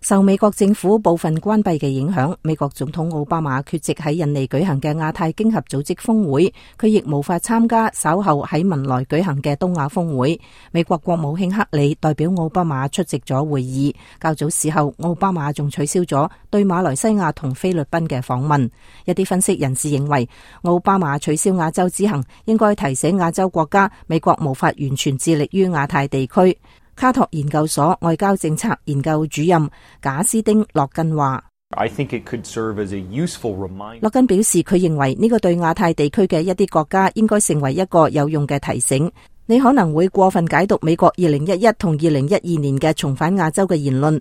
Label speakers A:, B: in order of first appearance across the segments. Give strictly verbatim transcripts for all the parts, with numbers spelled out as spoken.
A: 受美國政府部分關閉嘅影響，美國總統奧巴馬缺席喺印尼舉行嘅亞太經合組織峰會，佢亦無法參加稍後喺文萊舉行嘅東亞峰會。美國國務卿克里代表奧巴馬出席咗會議。較早時候，奧巴馬仲取消咗對馬來西亞同菲律賓嘅訪問。一啲分析人士認為，奧巴馬取消亞洲之行，應該提醒亞洲國家，美國無法完全致力於亞太地區。卡托研究所外交政策研究主任賈斯丁洛根話，洛根表示，佢認為呢個對亞太地區嘅一啲國家應該成為一個有用嘅提醒。你可能會過分解讀美國二零一一同二零一二年嘅重返亞洲嘅言論，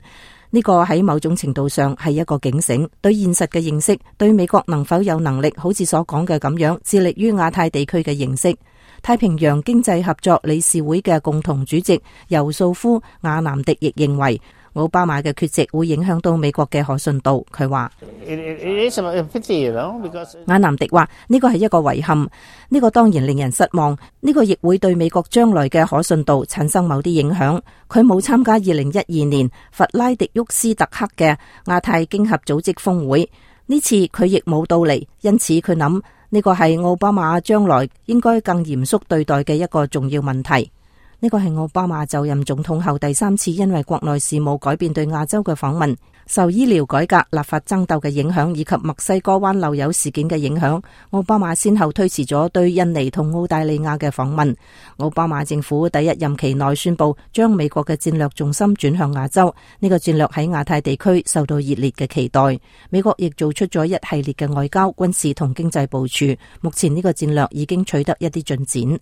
A: 呢個喺某種程度上係一個警醒，對現實嘅認識，對美國能否有能力好似所講嘅咁樣致力於亞太地區嘅認識。太平洋經濟合作理事會嘅共同主席尤素夫亞南迪亦認為，奧巴馬嘅缺席會影響到美國嘅可信度。佢話亞南迪話呢個係一個遺憾，呢個當然令人失望，呢個亦會對美國將來嘅可信度產生某啲影響。佢冇參加二零一二年弗拉迪沃斯特克嘅亞太經合組織峰會，呢次佢亦冇到嚟，因此佢諗呢個係奧巴馬將來應該更嚴肅對待嘅一個重要問題。呢個係奧巴馬就任總統後第三次因為國內事務改變對亞洲嘅訪問。受醫療改革、立法爭鬥嘅影響以及墨西哥灣漏油事件嘅影響，奧巴馬先後推遲咗對印尼同澳大利亞嘅訪問。奧巴馬政府第一任期內宣布將美國嘅戰略重心轉向亞洲，呢個戰略喺亞太地區受到熱烈嘅期待。美國亦做出咗一系列嘅外交、軍事同經濟部署，目前呢個戰略已經取得一啲進展。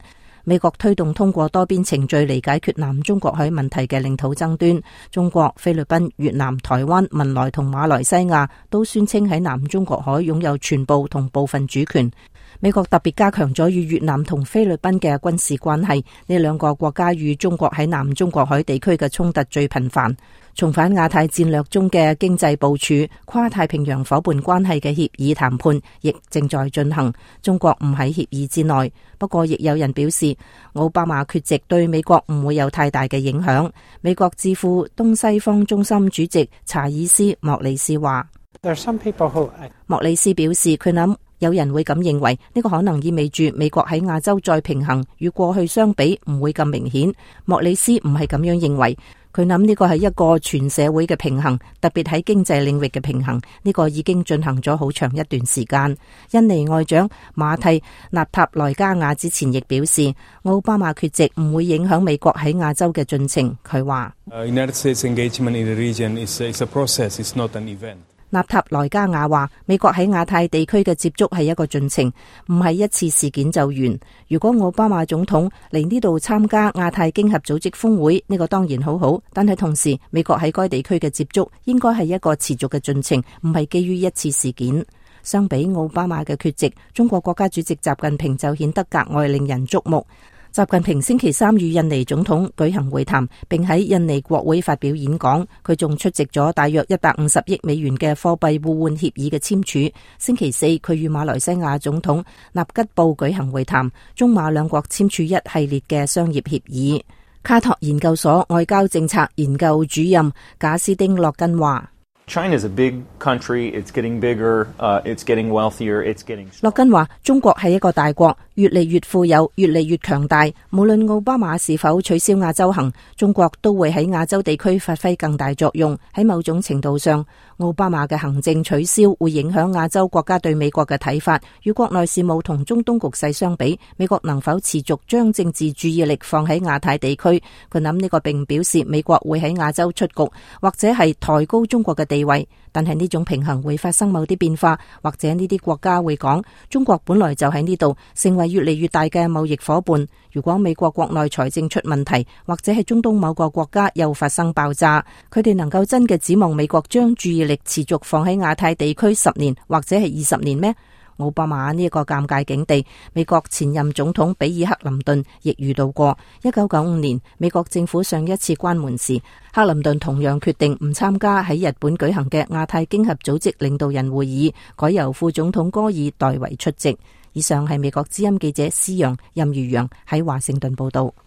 A: 美國推動通過多邊程序嚟解決南中國海問題嘅領土爭端。中國、菲律賓、越南、台灣、文萊同馬來西亞都宣稱喺南中國海擁有全部同部分主權。美國特別加強咗與越南同菲律賓嘅軍事關係，呢兩個國家與中國喺南中國海地區嘅衝突最頻繁。重返亞太戰略中嘅經濟部署、跨太平洋夥伴關係嘅協議談判亦正在進行。中國唔喺協議之內，不過亦有人表示，奧巴馬缺席對美國唔會有太大嘅影響。美國智庫東西方中心主席查爾斯莫里斯話，莫里斯表示佢諗有人會咁認為，呢、這個可能意味住美國喺亞洲再平衡與過去相比唔會咁明顯。莫里斯唔係咁樣認為。佢諗呢個係一個全社會嘅平衡，特別喺經濟領域嘅平衡，呢、這個已經進行咗好長一段時間。印尼外長馬蒂納塔萊加亞之前亦表示，奧巴馬缺席唔會影響美國喺亞洲嘅進程。佢話納塔萊加亞話，美國喺亞太地區嘅接觸係一個進程，唔係一次事件就完。如果奧巴馬總統嚟呢度參加亞太經合組織峰會，呢個當然好好，但係同時美國喺該地區嘅接觸應該係一個持續嘅進程，唔係基於一次事件。相比奧巴馬嘅缺席，中國國家主席習近平就顯得格外令人矚目。習近平星期三與印尼總統舉行會談，並喺印尼國會發表演講。佢仲出席咗大約一百五十億美元嘅貨幣互換協議嘅簽署。星期四，佢與馬來西亞總統納吉布舉行會談，中馬兩國簽署一系列嘅商業協議。卡托研究所外交政策研究主任賈斯丁洛根話
B: China is a big country. It's getting bigger. Uh, it's getting wealthier. It's getting.
A: 洛根話：中國係一個大國，越嚟越富有，越嚟越強大。無論奧巴馬是否取消亞洲行，中國都會喺亞洲地區發揮更大作用。喺某種程度上，奧巴馬嘅行政取消會影響亞洲國家對美國嘅睇法。與國內事務同中東局勢相比，美國能否持續將政治注意力放喺亞太地區？佢諗呢個並唔表示美國會喺亞洲出局，或者係抬高中國嘅地位。但係呢種平衡會發生某啲變化，或者呢啲國家會講，中國本來就喺呢度，成為越嚟越大嘅貿易夥伴。如果美國國內財政出問題，或者係中東某個國家又發生爆炸，佢哋能夠真嘅指望美國將注意力持續放喺亞太地區十年或者係二十年咩？奧巴馬呢一個尷尬境地，美國前任總統比爾克林頓亦遇到過。一九九五年美國政府上一次關門時，克林頓同樣決定唔參加喺日本舉行嘅亞太經合組織領導人會議，改由副總統戈爾代為出席。以上係美國之音記者施陽、任如陽喺華盛頓報道。